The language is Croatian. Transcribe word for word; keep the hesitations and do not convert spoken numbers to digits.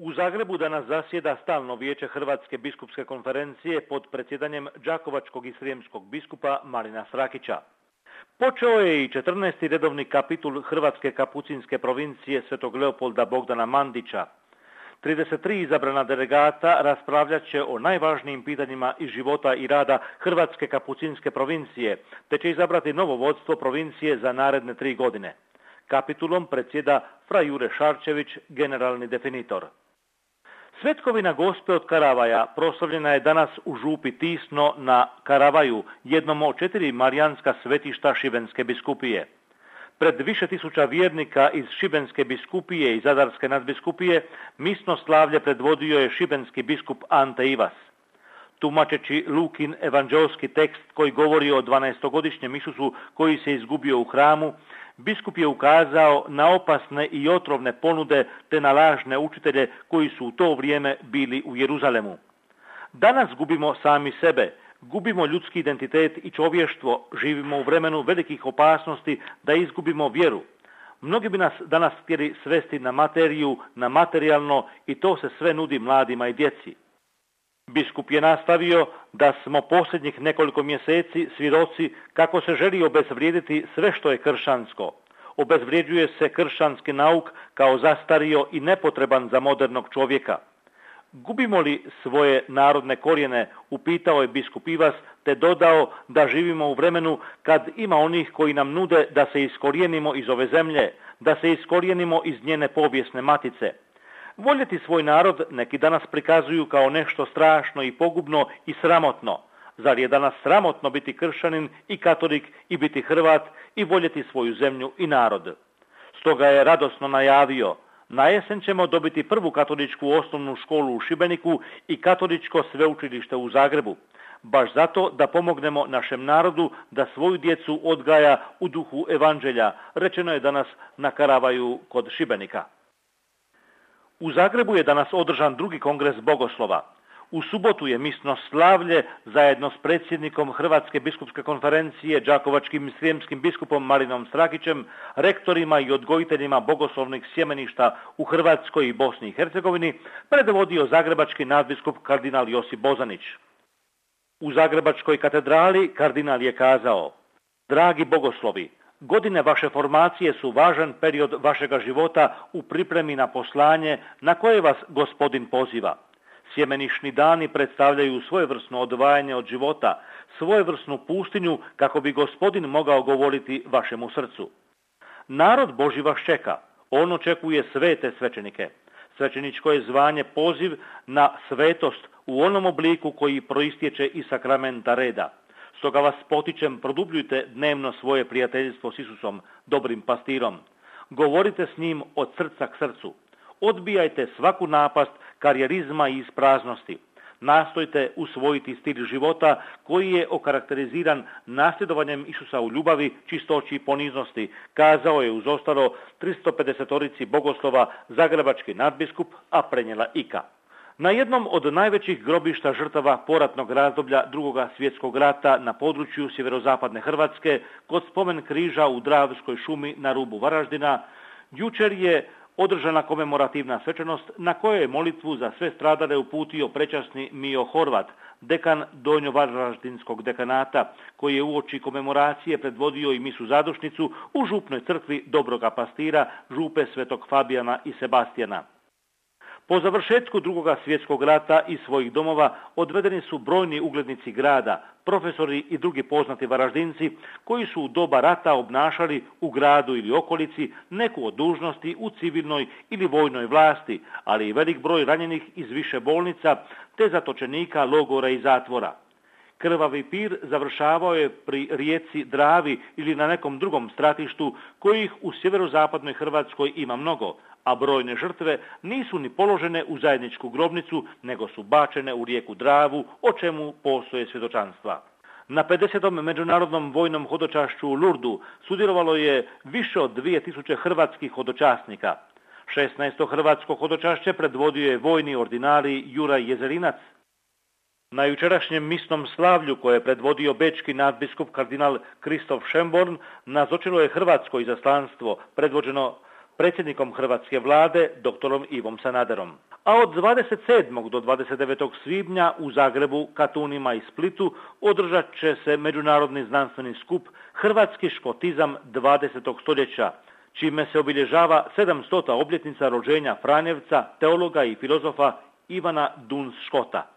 U Zagrebu danas zasjeda stalno vijeće Hrvatske biskupske konferencije pod predsjedanjem đakovačkog i srijemskog biskupa Marina Strakića. Počeo je i četrnaesti redovni kapitul Hrvatske kapucinske provincije Svetog Leopolda Bogdana Mandića. trideset tri izabrana delegata raspravljat će o najvažnijim pitanjima iz života i rada Hrvatske kapucinske provincije, te će izabrati novo vodstvo provincije za naredne tri godine. Kapitulom predsjeda fra Jure Šarčević, generalni definitor. Svetkovina Gospe od Karavaja proslavljena je danas u župi Tisno na Karavaju, jednom od četiri marijanska svetišta Šibenske biskupije. Pred više tisuća vjernika iz Šibenske biskupije i Zadarske nadbiskupije misno slavlje predvodio je šibenski biskup Ante Ivas. Tumačeći Lukin evanđelski tekst koji govori o dvanaestogodišnjem Isusu koji se izgubio u hramu, biskup je ukazao na opasne i otrovne ponude te na lažne učitelje koji su u to vrijeme bili u Jeruzalemu. Danas gubimo sami sebe, gubimo ljudski identitet i čovještvo, živimo u vremenu velikih opasnosti da izgubimo vjeru. Mnogi bi nas danas htjeli svesti na materiju, na materijalno i to se sve nudi mladima i djeci. Biskup je nastavio da smo posljednjih nekoliko mjeseci svjedoci kako se želi obezvrijediti sve što je kršćansko. Obezvrjeđuje se kršćanski nauk kao zastario i nepotreban za modernog čovjeka. Gubimo li svoje narodne korijene, upitao je biskup Ivas, te dodao da živimo u vremenu kad ima onih koji nam nude da se iskorijenimo iz ove zemlje, da se iskorijenimo iz njene povijesne matice. Voljeti svoj narod neki danas prikazuju kao nešto strašno i pogubno i sramotno. Zar je danas sramotno biti kršćanin i katolik i biti Hrvat i voljeti svoju zemlju i narod? Stoga je radosno najavio: na jesen ćemo dobiti prvu katoličku osnovnu školu u Šibeniku i katoličko sveučilište u Zagrebu. Baš zato da pomognemo našem narodu da svoju djecu odgaja u duhu evanđelja, rečeno je danas na Karavaju kod Šibenika. U Zagrebu je danas održan drugi kongres bogoslova. U subotu je misno slavlje zajedno s predsjednikom Hrvatske biskupske konferencije, đakovačkim i srijemskim biskupom Marinom Strakićem, rektorima i odgojiteljima bogoslovnih sjemeništa u Hrvatskoj i Bosni i Hercegovini, predvodio zagrebački nadbiskup kardinal Josip Bozanić. U Zagrebačkoj katedrali kardinal je kazao: dragi bogoslovi, godine vaše formacije su važan period vašega života u pripremi na poslanje na koje vas Gospodin poziva. Sjemenišni dani predstavljaju svojevrsno odvajanje od života, svojevrsnu pustinju kako bi Gospodin mogao govoriti vašemu srcu. Narod Božji vas čeka, on očekuje svete svećenike. Svećeničko je zvanje poziv na svetost u onom obliku koji proistječe iz sakramenta reda. Stoga vas potičem, produbljujte dnevno svoje prijateljstvo s Isusom, dobrim pastirom. Govorite s njim od srca k srcu. Odbijajte svaku napast karijerizma i ispraznosti. Nastojte usvojiti stil života koji je okarakteriziran nasljedovanjem Isusa u ljubavi, čistoći i poniznosti, kazao je uz ostalo tristo pedesetorici bogoslova zagrebački nadbiskup, a prenijela Ika. Na jednom od najvećih grobišta žrtava poratnog razdoblja Drugoga svjetskog rata na području sjeverozapadne Hrvatske, kod spomen križa u Dravskoj šumi na rubu Varaždina, jučer je održana komemorativna svečanost na kojoj je molitvu za sve stradale uputio prečasni Mio Horvat, dekan Donjo-Varaždinskog dekanata, koji je uoči komemoracije predvodio i misu zadušnicu u župnoj crkvi Dobroga pastira, župe Svetog Fabijana i Sebastijana. Po završetku Drugoga svjetskog rata iz svojih domova odvedeni su brojni uglednici grada, profesori i drugi poznati Varaždinci koji su u doba rata obnašali u gradu ili okolici neku od dužnosti u civilnoj ili vojnoj vlasti, ali i velik broj ranjenih iz više bolnica te zatočenika logora i zatvora. Krvavi pir završavao je pri rijeci Dravi ili na nekom drugom stratištu kojih u sjeverozapadnoj Hrvatskoj ima mnogo, a brojne žrtve nisu ni položene u zajedničku grobnicu, nego su bačene u rijeku Dravu, o čemu postoje svjedočanstva. Na pedesetom međunarodnom vojnom hodočašću u Lurdu sudjelovalo je više od dvije tisuće hrvatskih hodočasnika. šesnaesto hrvatsko hodočašće predvodio je vojni ordinari Juraj Jezerinac. Na jučerašnjem misnom slavlju koje je predvodio bečki nadbiskup kardinal Kristof Šemborn nazočilo je hrvatsko izaslanstvo predvođeno predsjednikom hrvatske vlade doktorom Ivom Sanaderom. A od dvadeset sedmog do dvadeset devetog svibnja u Zagrebu, Katunima i Splitu održat će se međunarodni znanstveni skup Hrvatski škotizam dvadesetog stoljeća, čime se obilježava sedamstota obljetnica rođenja Franjevca, teologa i filozofa Ivana Duns Škota.